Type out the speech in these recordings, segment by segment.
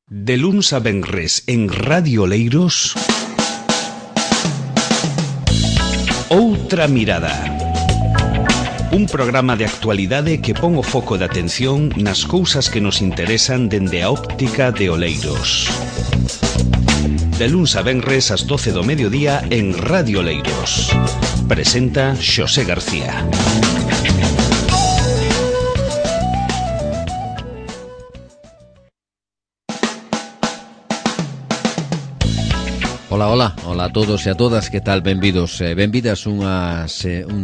De luns a venres en Radio Oleiros, Outra Mirada. Un programa de actualidade que pon o foco de atención nas cousas que nos interesan dende a óptica de Oleiros. De luns a venres ás 12 do mediodía en Radio Oleiros. Presenta Xosé García. Ola a todos e a todas, que tal? Benvidos e benvidas un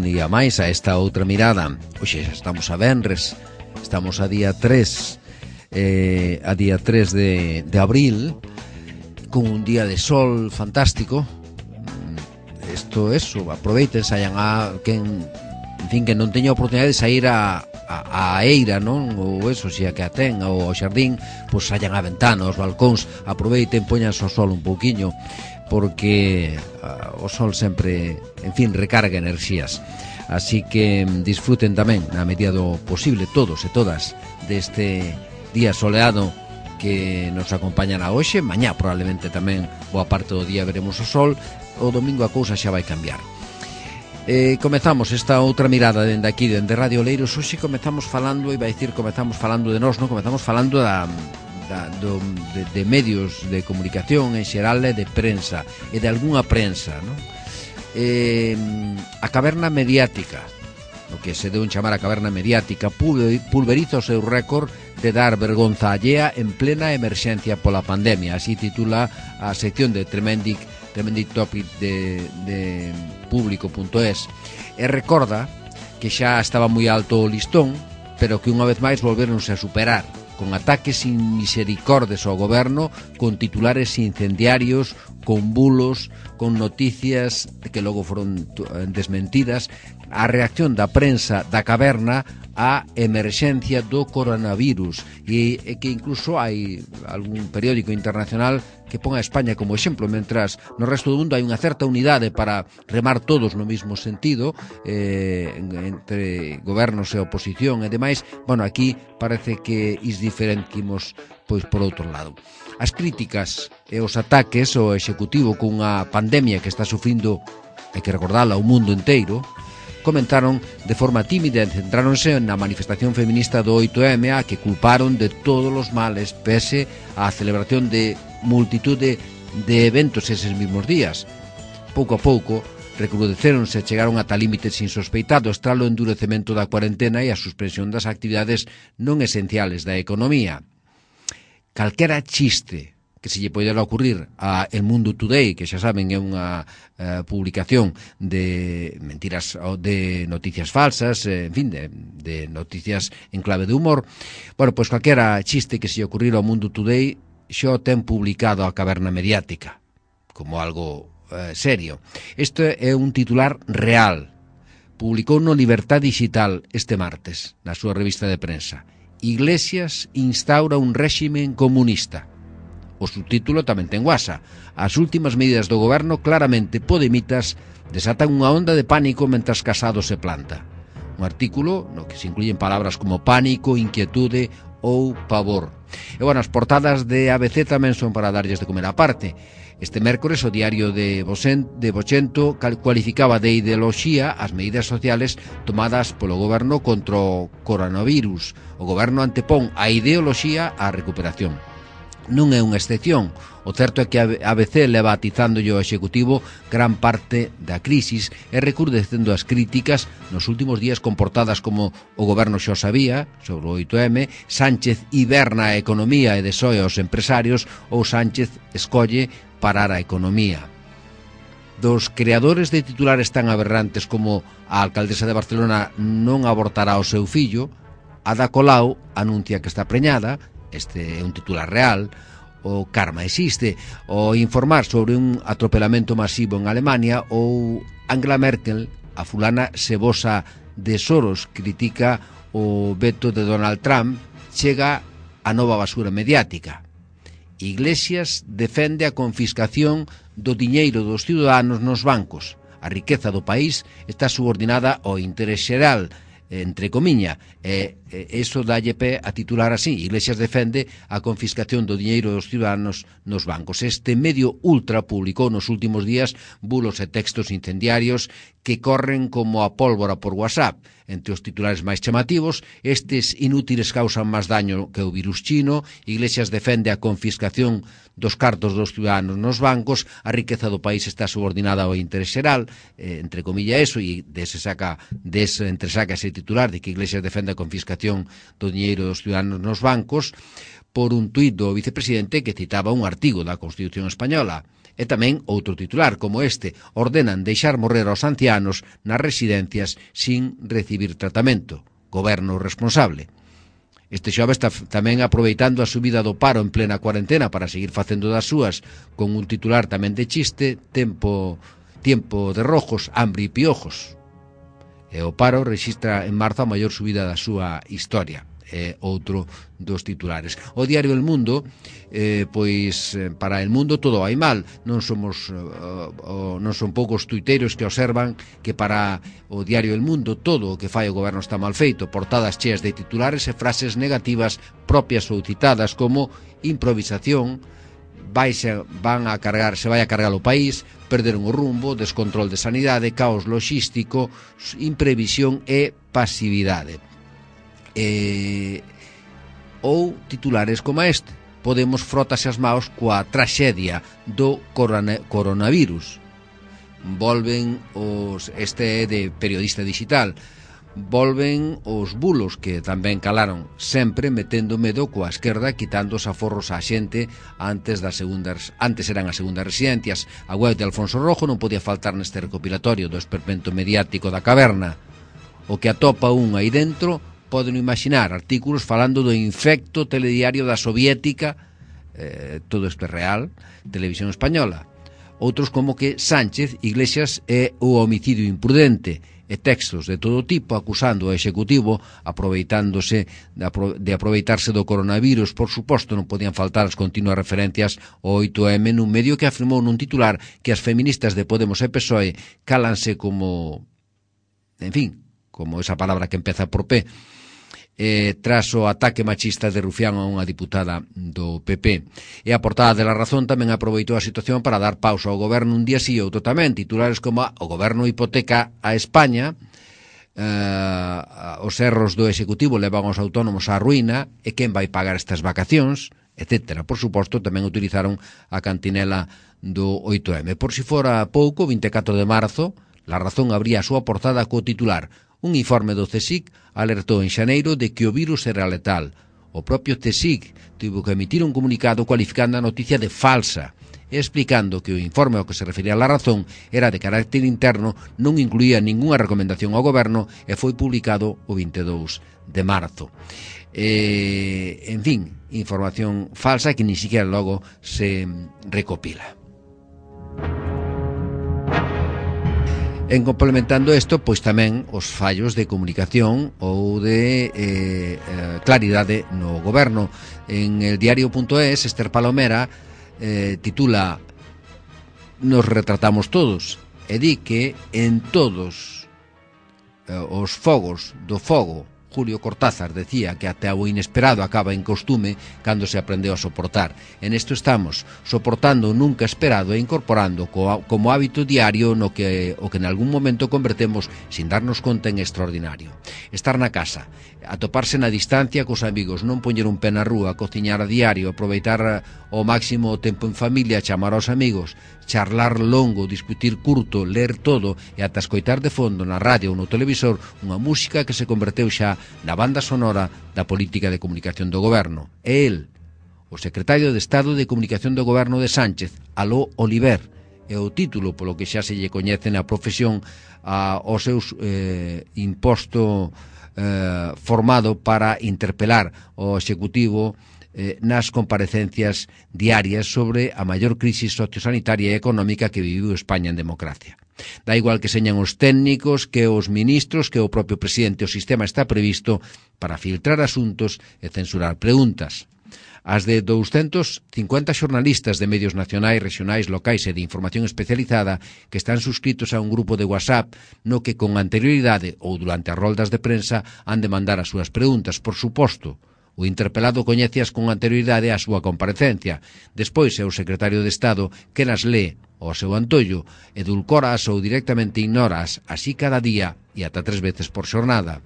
día máis a esta outra mirada. Oxe, estamos a venres, estamos a día 3 de abril, con un día de sol fantástico. Aproveiten, saian a quen non teña oportunidade de sair a eira, non? Ou eso, se a que a ten, ou ao xardín, pois saian a ventana, aos balcóns, aproveiten, poñanse ao sol un pouquiño, porque o sol sempre, recarga enerxías. Así que disfruten tamén, na medida do posible, todos e todas, deste día soleado que nos acompañará hoxe. Mañá probablemente tamén boa parte do día veremos o sol. O domingo a cousa xa vai cambiar. Comezamos esta outra mirada dende aquí, dende Radio Oleiros. Hoxe comezamos falando de nós, non? Comezamos falando de medios de comunicación en xeral e de prensa, e de algunha prensa, non? A caverna mediática, o que se deu en chamar a caverna mediática, pulveriza o seu récord de dar vergonza allea en plena emerxencia pola pandemia. Así titula a sección de Tremending Topic de Público.es, e recorda que xa estaba moi alto o listón, pero que unha vez máis volveronse a superar, con ataques sin misericordes ao goberno, con titulares incendiarios, con bulos, con noticias que logo foron desmentidas, a reacción da prensa da caverna á emerxencia do coronavirus, e que incluso hai algún periódico internacional que pon a España como exemplo, mentras no resto do mundo hai unha certa unidade para remar todos no mesmo sentido, entre gobernos e oposición e demais. Bueno, aquí parece que diferentimos pois por outro lado. As críticas e os ataques ao executivo cunha pandemia que está sufrindo, hai que recordala, o mundo inteiro, comentaron de forma tímida e centráronse na manifestación feminista do 8M, a que culparon de todos os males pese á celebración de multitude de eventos eses mismos días. Pouco a pouco recrudecéronse e chegaron ata límites insospeitados tras o endurecemento da cuarentena e a suspensión das actividades non esenciales da economía. Calquera chiste que se lle poidera ocurrir a El Mundo Today, que xa saben é unha publicación de mentiras, de noticias falsas, de noticias en clave de humor. Bueno, pois calquera chiste que se lle ocurrir ao Mundo Today xa o ten publicado a caverna mediática como algo serio. Isto é un titular real. Publicou no Libertad Digital este martes, na súa revista de prensa: Iglesias instaura un réximen comunista. O subtítulo tamén ten guasa: as últimas medidas do goberno, claramente podemitas, desatan unha onda de pánico mentras Casado se planta. Un artículo no que se incluyen palabras como pánico, inquietude ou pavor. E bueno, as portadas de ABC tamén son para darlles de comer á parte. Este mércores o diario de Vocento cualificaba de ideoloxía as medidas sociales tomadas polo goberno contra o coronavirus. O goberno antepón a ideoloxía á recuperación. Non é unha excepción. O certo é que a ABC leva atizándolle ao Executivo gran parte da crisis e recrudecendo as críticas nos últimos días con portadas como o goberno xa o sabía sobre o 8M, Sánchez hiberna a economía e desoe aos empresarios, ou Sánchez escolle parar a economía. Dos creadores de titulares tan aberrantes como a alcaldesa de Barcelona non abortará o seu fillo, Ada Colau anuncia que está preñada. Este é un titular real. O karma existe. O informar sobre un atropelamento masivo en Alemania. Ou Angela Merkel, a fulana cebosa de Soros, critica o veto de Donald Trump. Chega a nova basura mediática. Iglesias defende a confiscación do diñeiro dos ciudadanos nos bancos. A riqueza do país está subordinada ao interés xeral. entre comiña, eso dalle pé a titular así: Iglesias defende a confiscación do diñeiro dos ciudadanos nos bancos. Este medio ultra publicou nos últimos días bulos e textos incendiarios que corren como a pólvora por WhatsApp. Entre os titulares máis chamativos, estes inútiles causan máis daño que o virus chino, Iglesias defende a confiscación dos cartos dos ciudadanos nos bancos, a riqueza do país está subordinada ao interés xeral, entre comilla eso, e entresaca ese titular de que Iglesias defende a confiscación do diñeiro dos ciudadanos nos bancos, por un tuit do vicepresidente que citaba un artigo da Constitución Española. E tamén outro titular como este: ordenan deixar morrer aos ancianos nas residencias sin recibir tratamento. Goberno responsable. Este xoves está tamén aproveitando a subida do paro en plena cuarentena para seguir facendo das súas, con un titular tamén de chiste: tiempo de rojos, hambre e piojos. E o paro rexistra en marzo a maior subida da súa historia. Outro dos titulares. O diario El Mundo, pois para El Mundo todo vai mal. Non son poucos tuiteiros que observan que para o diario El Mundo todo o que fai o goberno está mal feito. Portadas cheas de titulares e frases negativas propias ou citadas como improvisación, se vai a cargar o país, perderon o rumbo, descontrol de sanidade, caos logístico, imprevisión e pasividade. Ou titulares como este: Podemos frotase as maos coa traxedia do coronavirus. Volven este é de Periodista Digital, volven os bulos que tamén calaron, sempre metendo medo coa esquerda, quitando os aforros á xente antes eran as segundas residencias. A web de Alfonso Rojo non podía faltar neste recopilatorio do esperpento mediático da caverna. O que atopa un aí dentro, poden imaginar artículos falando do infecto telediario da soviética, todo isto é real, Televisión Española. Outros como que Sánchez, Iglesias e o homicidio imprudente, e textos de todo tipo acusando o Executivo de aproveitarse do coronavirus. Por suposto, non podían faltar as continuas referencias ao 8M nun medio que afirmou nun titular que as feministas de Podemos e PSOE cálanse como, en fin, como esa palabra que empeza por P, tras o ataque machista de Rufián a unha diputada do PP. E a portada de La Razón tamén aproveitou a situación para dar pausa ao goberno un día sí e outro tamén. Titulares como: o goberno hipoteca a España, os erros do Executivo levan os autónomos á ruína, e quen vai pagar estas vacacións, etc. Por suposto, tamén utilizaron a cantinela do 8M. Por si fora pouco, 24 de marzo, La Razón abría a súa portada co titular: un informe do CSIC alertou en xaneiro de que o virus era letal. O propio CSIC tivo que emitir un comunicado cualificando a noticia de falsa e explicando que o informe ao que se refería a La Razón era de carácter interno, non incluía ningunha recomendación ao goberno e foi publicado o 22 de marzo. En fin, información falsa que ni siquiera logo se recopila. En complementando isto, pois tamén os fallos de comunicación ou de claridade no goberno. En el diario.es, Esther Palomera titula: nos retratamos todos, e di que en todos os fogos do fogo, Julio Cortázar decía que até o inesperado acaba en costume cando se aprendeu a soportar. En isto estamos, soportando o nunca esperado e incorporando como hábito diario o que en algún momento convertemos sin darnos conta en extraordinario. Estar na casa, atoparse na distancia cos amigos, non poñer un pé na rúa, cociñar a diario, aproveitar ao máximo o tempo en familia, chamar aos amigos, charlar longo, discutir curto, ler todo e ata escoitar de fondo na radio ou no televisor unha música que se converteu xa na banda sonora da política de comunicación do goberno. É el, o secretario de Estado de Comunicación do goberno de Sánchez, Aló Oliver, é o título polo que xa se lle coñece na profesión ao seu imposto formado para interpelar o Executivo nas comparecencias diarias sobre a maior crisis sociosanitaria e económica que viviu España en democracia. Da igual que señan os técnicos, que os ministros, que o propio presidente, o sistema está previsto para filtrar asuntos e censurar preguntas. As de 250 xornalistas de medios nacionais, regionais, locais e de información especializada que están suscritos a un grupo de WhatsApp no que con anterioridade ou durante as roldas de prensa han de mandar as súas preguntas, por suposto. O interpelado coñeceas con anterioridade a súa comparecencia. Despois é o secretario de Estado que nas lee ao seu antollo, edulcoras ou directamente ignoras, así cada día e ata 3 veces por xornada.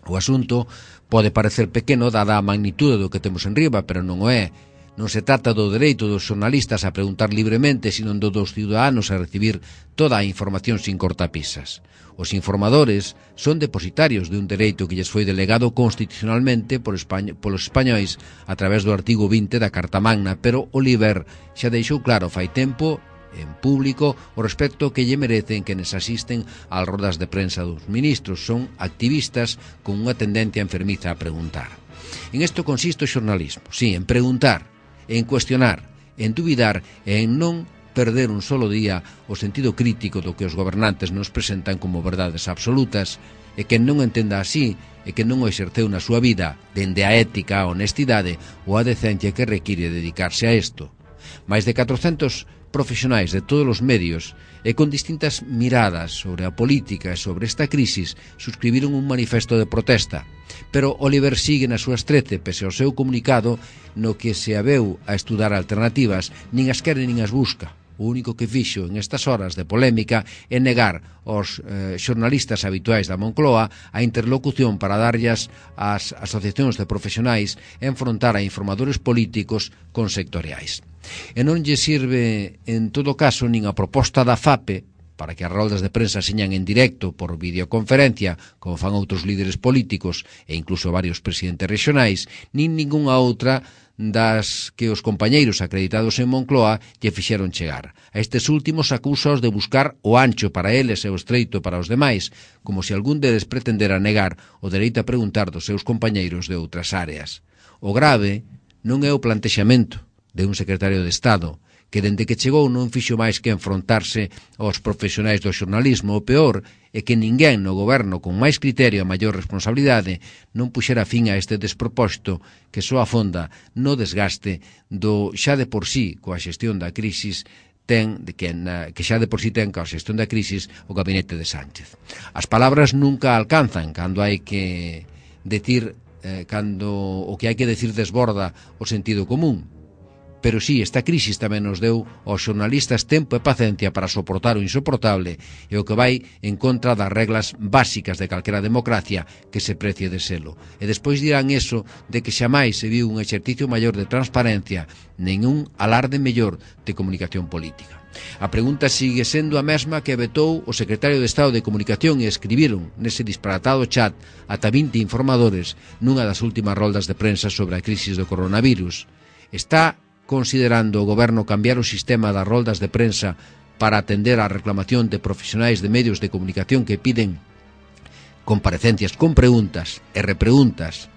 O asunto pode parecer pequeno dada a magnitude do que temos en riba, pero non o é. Non se trata do dereito dos xornalistas a preguntar libremente, sino do dos ciudadanos a recibir toda a información sin cortapisas. Os informadores son depositarios de un dereito que lles foi delegado constitucionalmente polos españois a través do artigo 20 da Carta Magna, pero Oliver xa deixou claro fai tempo en público o respecto que lle merecen quenes asisten ás rodas de prensa dos ministros. Son activistas con unha tendencia enfermiza a preguntar. En isto consiste o xornalismo, sí, en preguntar, en cuestionar, en dubidar e en non perder un solo día o sentido crítico do que os gobernantes nos presentan como verdades absolutas, e que non entenda así e que non o exerceu na súa vida dende a ética, a honestidade ou a decencia que require dedicarse a isto. Mais de 400 profesionais de todos os medios e con distintas miradas sobre a política e sobre esta crisis suscribiron un manifesto de protesta. Pero Oliver sigue nas súas 13 pese ao seu comunicado no que se aveu a estudar alternativas, nin as quere nin as busca. O único que fixo en estas horas de polémica é negar aos xornalistas habituais da Moncloa a interlocución para darllas ás asociacións de profesionais e enfrontar a informadores políticos con sectoriais. E non lle sirve, en todo caso, nin a proposta da FAPE para que as roldas de prensa señan en directo por videoconferencia, como fan outros líderes políticos e incluso varios presidentes regionais, nin ningunha outra das que os compañeiros acreditados en Moncloa lle fixeron chegar. A estes últimos acúsaos de buscar o ancho para eles e o estreito para os demais, como se algún deles pretendera negar o dereito a preguntar dos seus compañeiros de outras áreas. O grave non é o plantexamento de un secretario de Estado, que dende que chegou non fixo máis que enfrontarse aos profesionais do xornalismo. O peor é que ninguén no goberno con máis criterio e maior responsabilidade non puxera fin a este despropósito que só afonda no desgaste do xa de por sí coa xestión da crisis que xa de por sí ten coa xestión da crisis o gabinete de Sánchez. As palabras nunca alcanzan cando hai que decir cando o que hai que decir desborda o sentido común. Pero sí, esta crisis tamén nos deu aos xornalistas tempo e paciencia para soportar o insoportable e o que vai en contra das reglas básicas de calquera democracia que se precie de selo. E despois dirán eso de que xamais se viu un exercicio maior de transparencia, nen un alarde mellor de comunicación política. A pregunta sigue sendo a mesma que vetou o secretario de Estado de Comunicación e escribiron nese disparatado chat ata 20 informadores nunha das últimas roldas de prensa sobre a crisis do coronavirus. Está considerando o goberno cambiar o sistema das roldas de prensa para atender á reclamación de profesionais de medios de comunicación que piden comparecencias con preguntas e repreguntas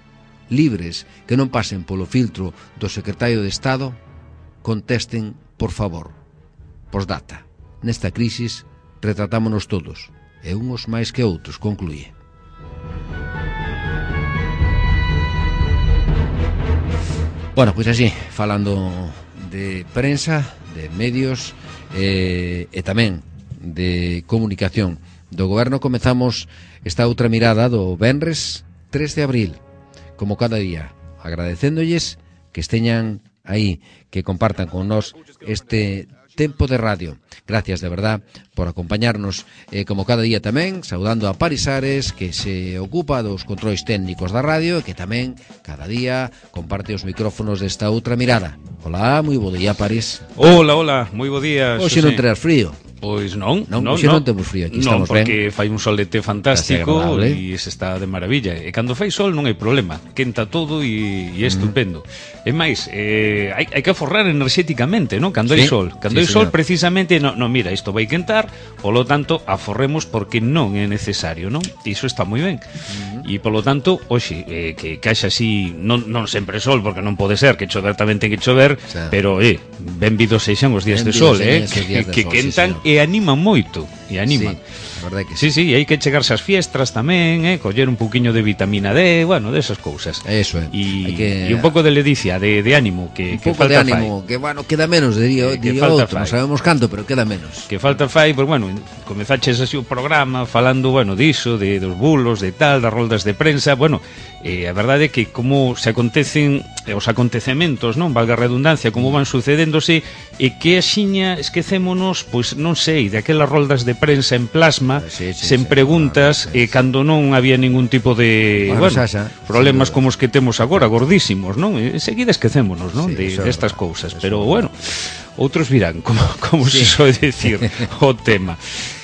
libres que non pasen polo filtro do secretario de Estado? Contesten, por favor. Postdata. Nesta crisis retratámonos todos, e uns máis que outros, concluye. Bueno, pois así, falando de prensa, de medios e tamén de comunicación do goberno, comezamos esta outra mirada do venres 3 de abril, como cada día, agradecéndolles que esteñan aí, que compartan con nós este tempo de radio. Gracias de verdad por acompañarnos, como cada día tamén, saudando a Paris Ares, que se ocupa dos controis técnicos da radio e que tamén cada día comparte os micrófonos desta outra mirada. Hola, moi bo día, Paris. Hola, moi bo día, Xosé. Hoxe non terás frío. Pois non, hoxe non temos frío, aquí estamos ben. Non, porque fai un solete fantástico e se está de maravilla. E cando fai sol non hai problema, quenta todo e é estupendo. E máis, hai que aforrar enerxéticamente, non? Cando hai sol. Cando hai sol, precisamente, non, mira, isto vai quentar, polo tanto, aforremos porque non é necesario, non? Iso está moi ben. E polo tanto, hoxe, que caixa así, non sempre sol, porque non pode ser, que chover tamén ten que chover, pero benvidos sexan os días de sol, que quentan e animan moito. e anima. Sí, a verdade que sí. Sí, hai que chegarse ás fiestras tamén, coller un pouquiño de vitamina D, bueno, desas cousas. Eso é. E un pouco de ledicia, de ánimo, que un pouco de ánimo, que bueno, queda menos, diría outro, non sabemos canto, pero queda menos. Que falta fai, pues bueno, comezaches así o programa falando, bueno, diso, dos bulos, de tal, das roldas de prensa, bueno, a verdade é que como se acontecen os acontecementos, non, valga a redundancia, como van sucedéndose, e que axiña esquecémonos, pois non sei, de aquelas roldas de prensa en plasma, sen preguntas, e cando non había ningún tipo de, problemas como os que temos agora, gordísimos, non? Enseguida esquecémonos, non, de estas cousas, pero bueno, outros virán, como se soe dicir o tema.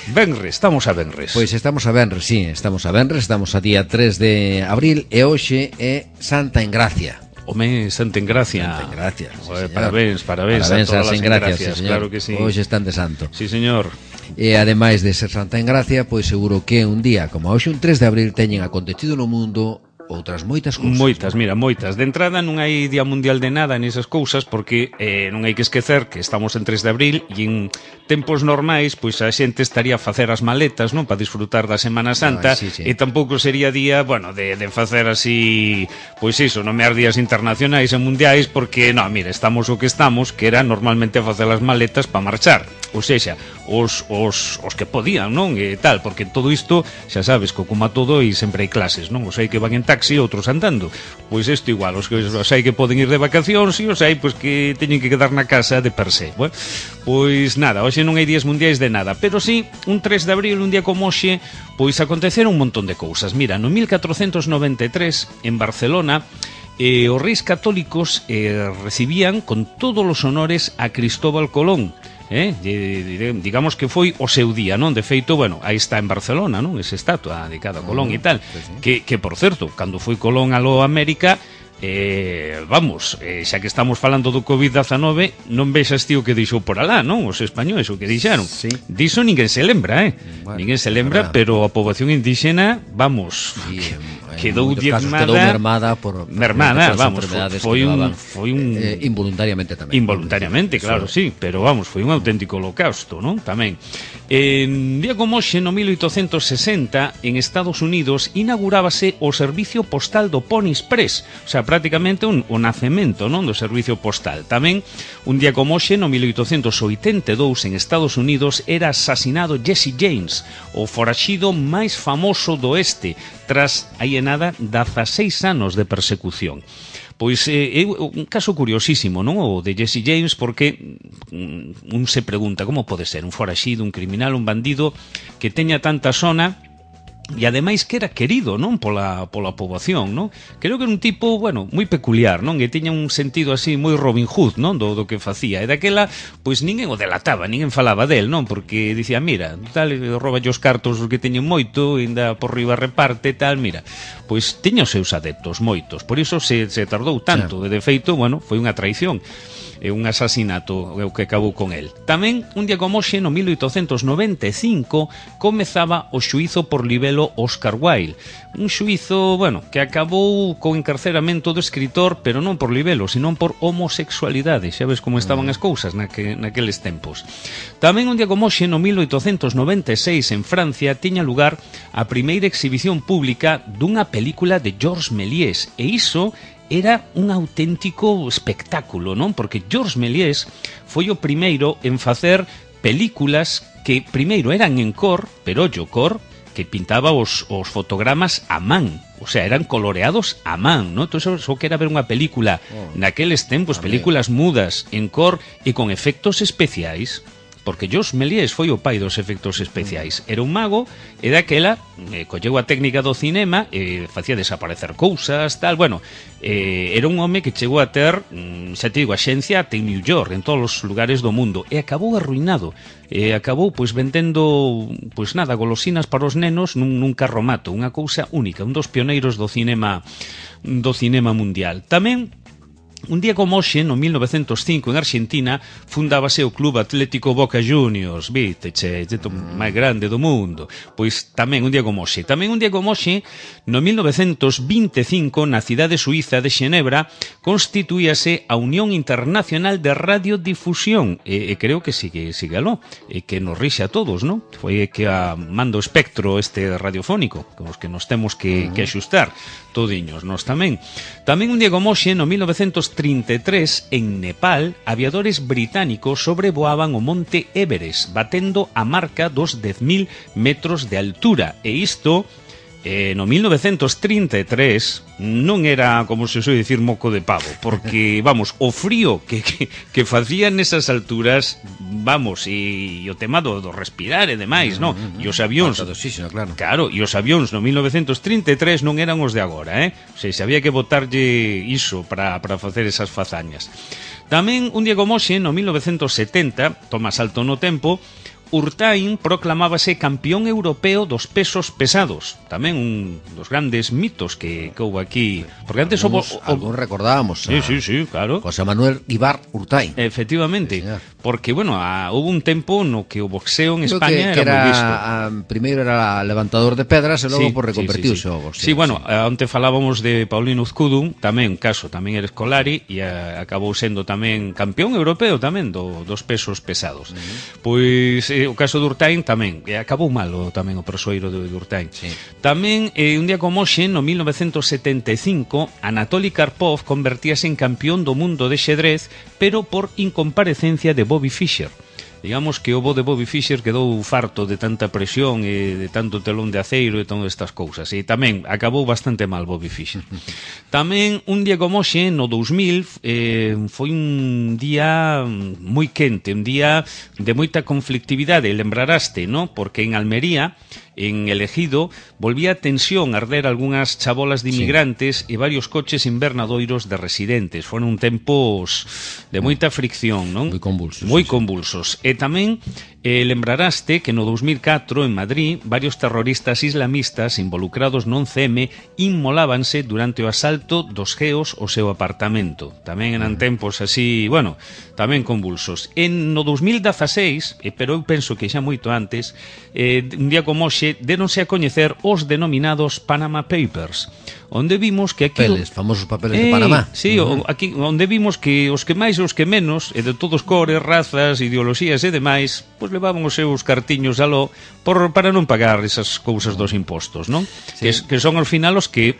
Venres, estamos a Venres. Pois estamos a Venres, sí, estamos a Venres, estamos a día 3 de abril e hoxe é Santa Engracia. Home, Santa Engracia. Santa Engracia, sí, parabéns a todas as Engracias, sí, claro que sí. Hoxe están de santo. Sí, señor. E ademais de ser Santa Engracia, pois seguro que un día como hoxe, un 3 de abril, teñen acontecido no mundo outras moitas cousas. Moitas, mira, moitas. De entrada non hai Día Mundial de nada nesas cousas porque non hai que esquecer que estamos en 3 de abril e en tempos normais pois a xente estaría a facer as maletas, non, para disfrutar da Semana Santa, e tampouco sería día, bueno, de facer así, pois iso, nomear días internacionais e mundiais porque, non, mira, estamos o que estamos, que era normalmente a facer as maletas para marchar. Ou seja, os que podían, non? E tal, porque todo isto, xa sabes, que como a todo e sempre hai clases, non? Os hai que van en taxi, outros andando. Pois isto igual, os hai que poden ir de vacacións e os hai pois que teñen que quedar na casa de per se. Bueno, pois nada, hoxe non hai días mundiais de nada, pero sí, un 3 de abril, un día como hoxe, pois aconteceron un montón de cousas. Mira, no 1493, en Barcelona, os reis católicos recibían con todos os honores a Cristóbal Colón. Digamos que foi o seu día, non? De feito, bueno, aí está en Barcelona, non? Esa estatua dedicada a Colón e tal, que por certo, cando foi Colón a América, xa que estamos falando do COVID-19, non vexas tío que deixou por alá, non? Os españois o que dixeron. Diso ninguén se lembra, bueno, ninguén se lembra, pero a poboación indígena, vamos, quedou mermada vamos, foi un involuntariamente tamén. Involuntariamente, claro, sí, pero vamos, foi un auténtico holocausto, non? Tamén. En día como hoxe, no 1860, en Estados Unidos inaugurábase o servicio postal do Pony Express, o sea, prácticamente o nacemento, non, do servicio postal. Tamén, un día como hoxe, no 1882, en Estados Unidos, era asasinado Jesse James, o foraxido máis famoso do oeste, tras, aí nada, 16 anos de persecución. Pois é un caso curiosísimo, non? O de Jesse James, porque un se pregunta como pode ser un foraxido, un criminal, un bandido que teña tanta sona e ademais que era querido, non, pola poboación, non? Creo que era un tipo, bueno, moi peculiar, non? Que tiña un sentido así moi Robin Hood, non? Do que facía. E daquela, pois ninguén o delataba, ninguén falaba del, non? Porque dicía, mira, tal, rouba os cartos os que teñen moito, ainda por riba reparte, tal, mira. Pois tiña os seus adeptos, moitos. Por iso se tardou tanto. De feito, bueno, foi unha traición. É un asasinato o que acabou con el. Tamén, un día como hoxe, no 1895, comezaba o xuízo por libelo Oscar Wilde. Un xuízo, bueno, que acabou co encarceramento do escritor, pero non por libelo, sino por homosexualidade. Xa ves como estaban as cousas naqueles tempos. Tamén, un día como hoxe, no 1896, en Francia, tiña lugar a primeira exhibición pública dunha película de Georges Méliès, e iso era un auténtico espectáculo, non? Porque Georges Méliès foi o primeiro en facer películas que primeiro eran en cor, pero ollo, cor, que pintaba os fotogramas a man, o sea, eran coloreados a man, non? Entón, só que era ver unha película naqueles tempos, películas mudas, en cor e con efectos especiais. Porque Georges Méliès foi o pai dos efectos especiais. Era un mago e daquela colleu a técnica do cinema e facía desaparecer cousas, tal, bueno, era un home que chegou a ter, xa te digo, axencia até en New York, en todos os lugares do mundo, e acabou arruinado, e acabou pois vendendo, pois nada, golosinas para os nenos nun carromato, unha cousa única, un dos pioneiros do cinema mundial. Tamén Un día como hoxe, no 1905, en Argentina, fundábase o Club Atlético Boca Juniors, viste, máis grande do mundo. Pois tamén un día como hoxe. Tamén un día como hoxe, no 1925, na cidade suiza de Xenebra, constituíase a Unión Internacional de Radiodifusión, e creo que sigue aló, e que nos rixe a todos, non? Foi que manda o espectro este radiofónico, con os que nos temos que axustar, todiños, nós tamén. Tamén un día como hoxe, no 1933, en Nepal, aviadores británicos sobrevoaban o monte Everest, batendo a marca dos 10.000 metros de altura. E isto, no 1933, non era, como se soe dicir, moco de pavo, porque, vamos, o frío que facían nesas alturas, vamos, e o tema do respirar e demais, non? E os avións, claro, e os avións no 1933 non eran os de agora, O sea, se había que botarlle iso para facer esas fazañas. Tamén, un día como hoxe, no 1970, toma salto no tempo, Urtain proclamábase campeón europeo dos pesos pesados. Tamén un dos grandes mitos que houve aquí. Porque antes algún recordábamos. Sí, claro. José Manuel Ibar Urtain. Efectivamente. Sí, porque, bueno, houve un tempo no que o boxeo en España que era moi visto. Primeiro era levantador de pedras e logo reconvertiuse ao boxeo. Sí, bueno, onte falábamos de Paulino Uzcudun, tamén, tamén era escolari e acabou sendo tamén campeón europeo tamén dos pesos pesados. Pois o caso de Urtain tamén, acabou malo tamén o persoeiro de Urtain. Tamén, un día como hoxe, no 1975, Anatoly Karpov convertíase en campeón do mundo de xedrez, pero por incomparecencia de Bobby Fischer. Digamos que o bo de Bobby Fischer quedou farto de tanta presión e de tanto telón de aceiro e todas estas cousas. E tamén acabou bastante mal Bobby Fischer. Tamén un día como hoxe, no 2000, foi un día moi quente, un día de moita conflictividade. Lembraraste, non? Porque en Almería, en El Ejido, volvía a tensión arder algunhas chabolas de inmigrantes e varios coches invernadoiros de residentes. Foron tempos de moita fricción, non? Moi convulsos. E tamén lembraraste que no 2004 en Madrid varios terroristas islamistas involucrados no 11M inmolábanse durante o asalto dos geos ao seu apartamento. Tamén eran tempos así, bueno, tamén convulsos. No 2016, pero eu penso que xa moito antes, un día como hoxe, deronse a coñecer os denominados Panama Papers, onde vimos que aquí... famosos papeles de Panamá. Sí, aquí onde vimos que os que máis e os que menos, e de todos cores, razas, ideoloxías e demais, pois levaban os seus cartiños aló para non pagar esas cousas dos impostos, non? Que son ao final os que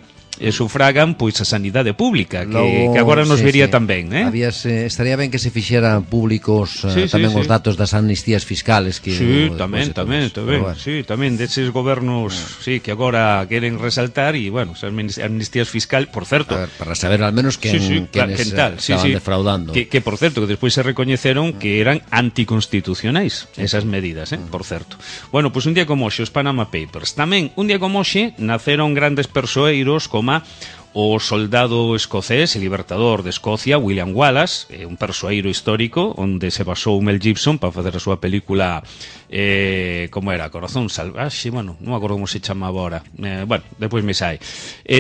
sufragan pois a sanidade pública que agora nos vería tan ben, estaría ben que se fixeran públicos tamén os datos das amnistías fiscales que tamén deses gobernos que agora queren resaltar e, bueno, as amnistías fiscales, por certo, para saber al menos quen estaban defraudando, que por certo, que despois se recoñeceron que eran anticonstitucionais esas medidas, por certo. Bueno, pois un día como hoxe, os Panama Papers. Tamén, un día como hoxe, naceron grandes persoeiros como o soldado escocés e libertador de Escocia, William Wallace, un persoeiro histórico onde se basou Mel Gibson para facer a súa película como era, Corazón Salvaxe, bueno, non me acordo como se chamaba agora, bueno, depois me sai.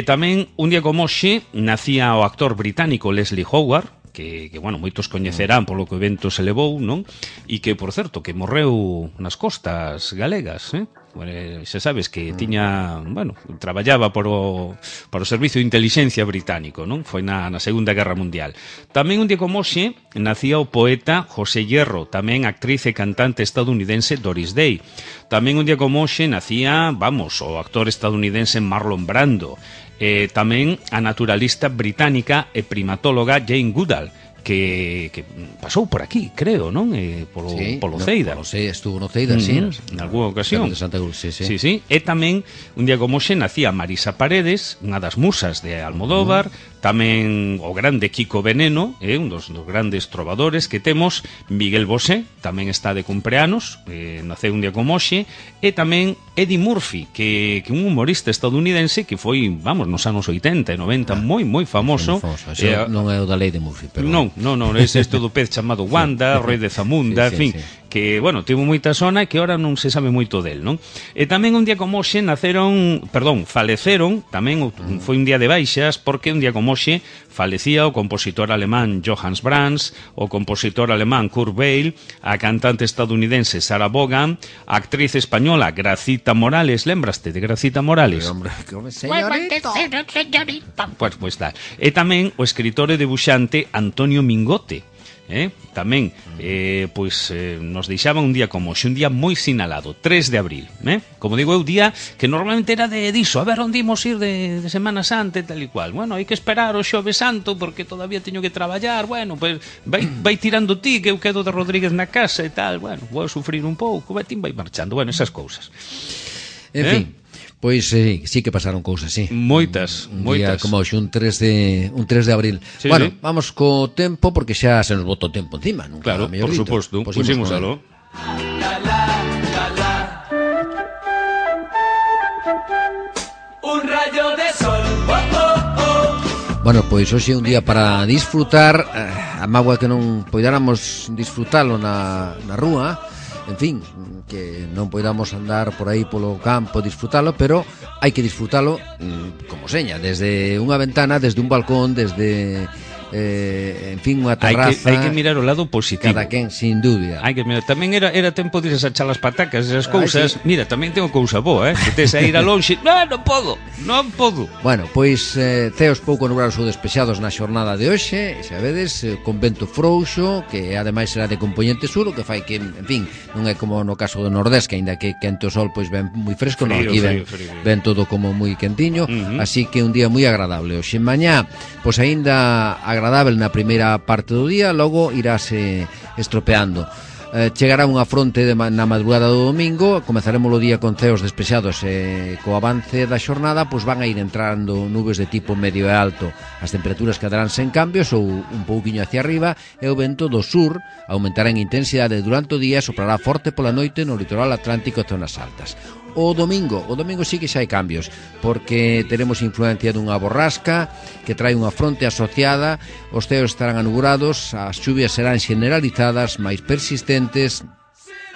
Tamén, un día como hoxe, nacía o actor británico Leslie Howard, que bueno, moitos coñecerán polo que o evento se levou, non? E que, por certo, que morreu nas costas galegas, Bueno, xa sabes que tiña, bueno, traballaba para o Servicio de Inteligencia británico, non? Foi na Segunda Guerra Mundial. Tamén un día como hoxe nacía o poeta José Hierro, tamén actriz e cantante estadounidense Doris Day. Tamén un día como hoxe nacía, o actor estadounidense Marlon Brando. Tamén a naturalista británica e primatóloga Jane Goodall, que pasou por aquí, creo, non? Polo Ceida. Estuvo no Ceida, en algunha ocasión. De Santa Cruz, sí. E tamén, un día como hoxe, nacía Marisa Paredes, unha das musas de Almodóvar, tamén o grande Kiko Veneno, un dos grandes trovadores que temos, Miguel Bosé, tamén está de cumpleanos, naceu un día como hoxe, e tamén Eddie Murphy, que un humorista estadounidense que foi, nos anos 80 e 90, moi famoso. Non é o da lei de Murphy, pero... Non, é isto do pez chamado Wanda, Rei de Zamunda, en fin, que, bueno, tivo moita sona e que ahora non se sabe moito del, non? E tamén un día como hoxe faleceron, tamén foi un día de baixas, porque un día como hoxe falecía o compositor alemán Johannes Brahms, o compositor alemán Kurt Weill, a cantante estadounidense Sarah Vaughan, a actriz española Gracita Morales, lembraste de Gracita Morales? Hombre, señorito. Pues tal. E tamén o escritor e debuxante Antonio Mingote, tamén nos deixaban un día como hoxe, un día moi sinalado, 3 de abril, como digo, é o día que normalmente era diso, a ver onde imos ir de Semana Santa e tal e cual. Bueno, hai que esperar o Xoves Santo porque todavía teño que traballar. Bueno, pues vai tirando ti, que eu quedo de Rodríguez na casa e tal. Bueno, vou sufrir un pouco, vai marchando. Bueno, esas cousas. En fin, pois sí que pasaron cousas, sí. Moitas. Día como hoxe, un 3 de abril. Sí, bueno, sí. Vamos co tempo, porque xa se nos botou o tempo encima. Claro, por suposto. Pusimos algo. Un rayo de sol. Bueno, pois hoxe é un día para disfrutar, a mágoa que non poidáramos disfrutalo na rúa, en fin, que non poidamos andar por aí polo campo disfrutalo, pero hai que disfrutalo como seña, desde unha ventana, desde un balcón, desde en fin, unha terraza. Hai que mirar o lado positivo. Cada quen, sin dúbida. Hai que mirar. Tamén era tempo de desachar as patacas, esas cousas. Sí. Mira, tamén tengo cousa boa, que tes a ir a lonxe. Non podo. Bueno, pois ceos pouco nublados ou despexados na xornada de hoxe, xa vedes, con vento frouxo, que ademais será de componente sur, o que fai que, en fin, non é como no caso do Nordés, que aínda que quente o sol, pois ven moi fresco, non, aquí ven todo como moi quentiño, así que un día moi agradable. Hoxe mañá, pois aínda agradable na primeira parte do día, logo irase estropeando. Chegará unha fronte na madrugada do domingo, comezaremos o día con ceos despexados e co avance da xornada pois van a ir entrando nubes de tipo medio e alto. As temperaturas quedarán sen cambios ou un pouquiño hacia arriba e o vento do sur aumentará en intensidade durante o día e soprará forte pola noite no litoral atlántico e zonas altas. O domingo sí que xa hai cambios, porque teremos influencia dunha borrasca que trae unha fronte asociada, os ceos estarán anubulados, as chuvias serán generalizadas, máis persistentes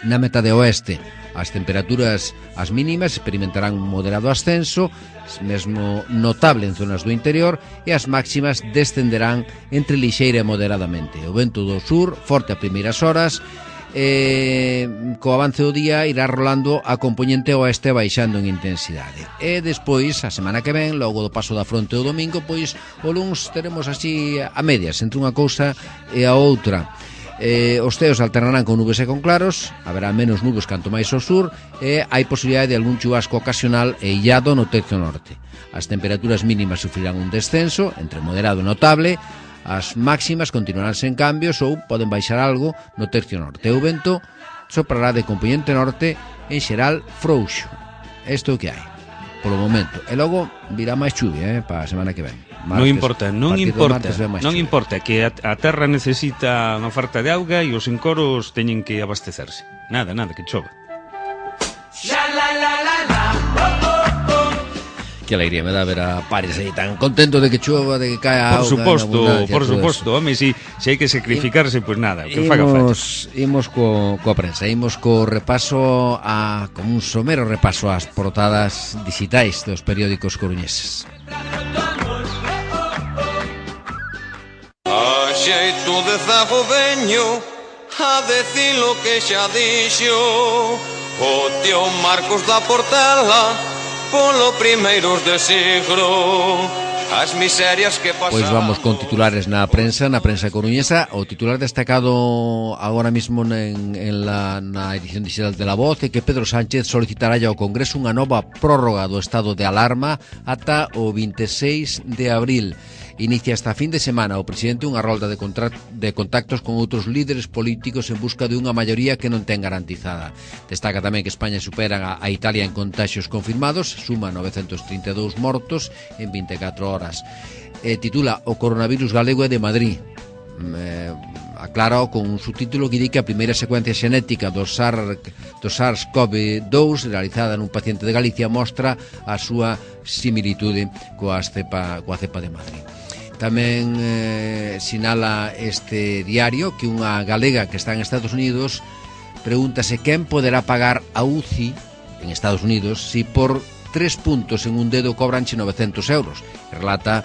na metade oeste. As temperaturas, as mínimas, experimentarán un moderado ascenso, mesmo notable en zonas do interior, e as máximas descenderán entre lixeira e moderadamente. O vento do sur, forte a primeiras horas, co avance do día irá rolando a componente oeste baixando en intensidade. E despois, a semana que ven, logo do paso da fronte do domingo, pois o luns teremos así a medias entre unha cousa e a outra. Os ceos alternarán con nubes e con claros, haberá menos nubes canto máis ao sur, e hai posibilidade de algún chubasco ocasional e illado no tercio norte. As temperaturas mínimas sufrirán un descenso entre moderado e notable. As máximas continuarán sen cambios ou poden baixar algo no tercio norte. O vento soprará de componente norte, en xeral frouxo. Isto é o que hai polo momento. E logo virá máis chuvia para a semana que ven. Non importa, que a terra necesita unha oferta de auga e os encoros teñen que abastecerse. Nada, que chova. Que alegría me dá ver a Paris aí tan contento de que chova, de que caia auga. Por suposto, home, se hai que sacrificarse, pois nada, que faga falta. Imos coa prensa, imos co repaso como un somero repaso ás portadas digitais dos periódicos coruñeses. A xeito de zago veño a decir lo que xa dixo o tío Marcos da Portela polo primeiros de siglo. As miserias que pasaron. Pois vamos con titulares na prensa coruñesa. O titular destacado agora mismo na edición digital de La Voz é que Pedro Sánchez solicitará ao Congreso unha nova prórroga do estado de alarma ata o 26 de abril. Inicia esta fin de semana o presidente unha rolda de contactos con outros líderes políticos en busca de unha maioría que non ten garantizada. Destaca tamén que España supera a Italia en contaxios confirmados, suma 932 mortos en 24 horas. Titula O coronavirus galego é de Madrid. Aclara con un subtítulo que di que a primeira secuencia xenética do SARS-CoV-2 realizada nun paciente de Galicia mostra a súa similitude coa cepa de Madrid. Tamén sinala este diario que unha galega que está en Estados Unidos pregúntase quen poderá pagar a UCI en Estados Unidos si por 3 puntos en un dedo cobranche 900 euros. Relata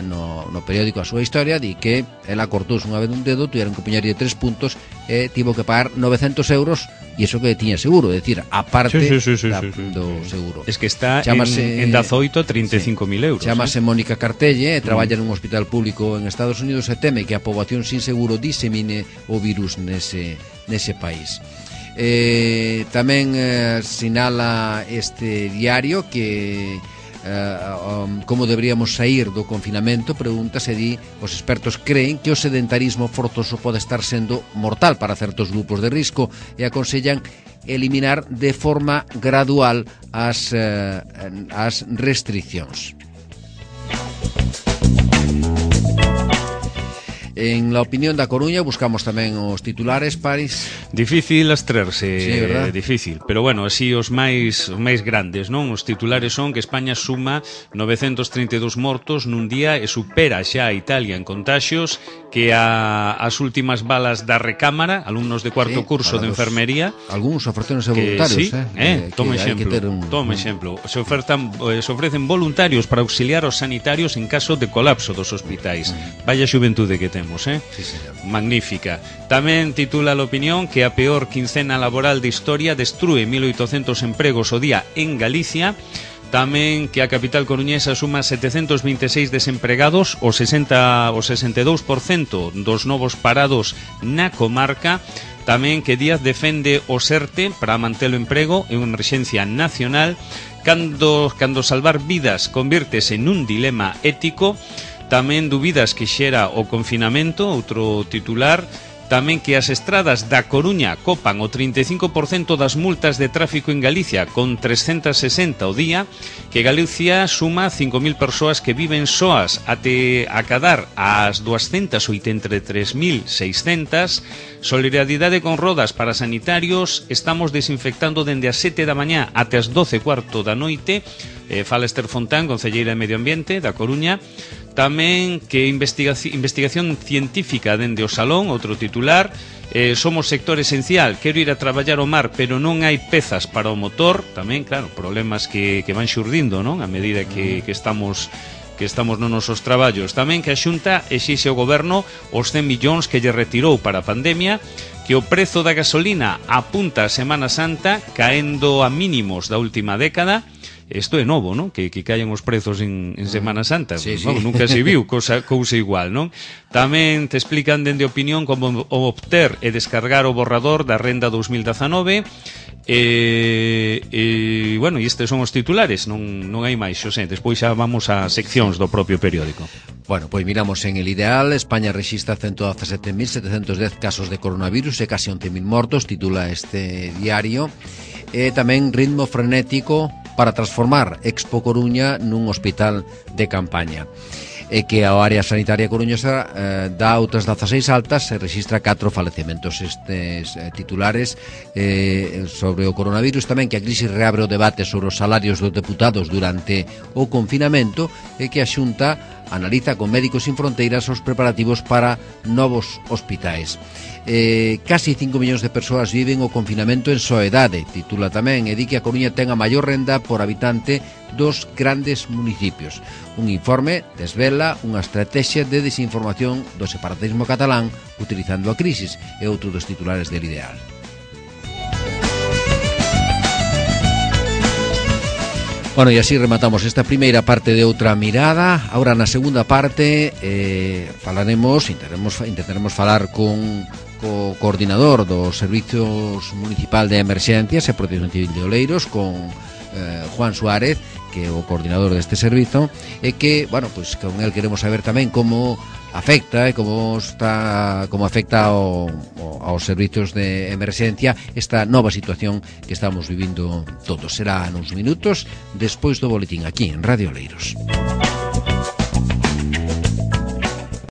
no periódico a súa historia, di que ela cortouse unha vez un dedo, tiveron que poñerlle 3 puntos e tivo que pagar 900 euros, e iso que tiña seguro, é dicir, aparte do seguro. Es que está en 18 35.000 euros. Chámase Mónica Cartelle, traballa nun hospital público en Estados Unidos e teme que a poboación sin seguro disemine o virus nese país. Tamén sinala este diario que como deberíamos sair do confinamento, pregúntase, di, os expertos creen que o sedentarismo forzoso pode estar sendo mortal para certos grupos de risco e aconsellan eliminar de forma gradual as restriccións. En la opinión da Coruña buscamos tamén os titulares, Paris. Difícil abstraerse, sí, verdad? Difícil, pero bueno, así os máis grandes, non? Os titulares son que España suma 932 mortos nun día e supera xa a Italia en contaxios, que as últimas balas da recámara, alumnos de cuarto curso de enfermería, algúns ofrecéronse voluntarios, toma exemplo. Se ofrecen voluntarios para auxiliar aos sanitarios en caso de colapso dos hospitais. Vaya xuventude que temos. Sí, magnífica. Tamén titula a opinión que a peor quincena laboral de historia destrúe 1.800 empregos o día en Galicia. Tamén que a capital coruñesa suma 726 desempregados, o 62% dos novos parados na comarca. Tamén que Díaz defende o SERTE para manter o emprego en unha emerxencia nacional. Cando salvar vidas convírtese nun dilema ético. Tamén dúbidas que xera o confinamento, outro titular. Tamén que as estradas da Coruña copan o 35% das multas de tráfico en Galicia, con 360 o día. Que Galicia suma 5.000 persoas que viven soas até acadar as 283.600. Solidaridade con rodas para sanitarios. Estamos desinfectando dende as 7 da mañá até as 12:15 da noite. Fala Esther Fontán, concelleira de Medio Ambiente da Coruña. Tamén que investigación científica dende o Salón, outro titular. Somos sector esencial, quero ir a traballar ao mar, pero non hai pezas para o motor. Tamén, claro, problemas que van xurdindo, non? A medida que estamos nos nosos traballos. Tamén que a Xunta exixe ao goberno os 100 millóns que lle retirou para a pandemia. Que o prezo da gasolina apunta a Semana Santa, caendo a mínimos da última década. Isto é novo, non? Que caen os prezos en Semana Santa. Sí, sí. Bueno, nunca se viu cousa igual, non? Tamén te explican dende opinión como obter e descargar o borrador da Renda 2019. Bueno, e estes son os titulares, non hai máis, Xosé. Despois xa vamos a seccións do propio periódico. Bueno, pois miramos en El Ideal. España rexistra 117.710 casos de coronavirus e casi 11.000 mortos, titula este diario. E tamén ritmo frenético para transformar Expo Coruña nun hospital de campaña. E que a área sanitaria coruñesa dá outras 16 altas e rexistra 4 falecementos. Estes titulares sobre o coronavirus. Tamén que a crisis reabre o debate sobre os salarios dos deputados durante o confinamento e que a Xunta analiza con Médicos Sin Fronteiras os preparativos para novos hospitais. Casi 5 millóns de persoas viven o confinamento en soedade, titula tamén, e di que a Coruña ten a maior renda por habitante dos grandes municipios. Un informe desvela unha estrategia de desinformación do separatismo catalán utilizando a crisis, e outro dos titulares del Ideal. Bueno, e así rematamos esta primeira parte de Outra Mirada. Ahora na segunda parte intentaremos falar con o coordinador do Servizos Municipal de Emerxencias e Protección Civil de Oleiros, con Juan Suárez, que é o coordinador deste servizo, e que, bueno, pois con el queremos saber tamén como afecta e como afecta aos servizos de emerxencia esta nova situación que estamos vivindo todos. Será nos minutos despois do boletín aquí en Radio Oleiros.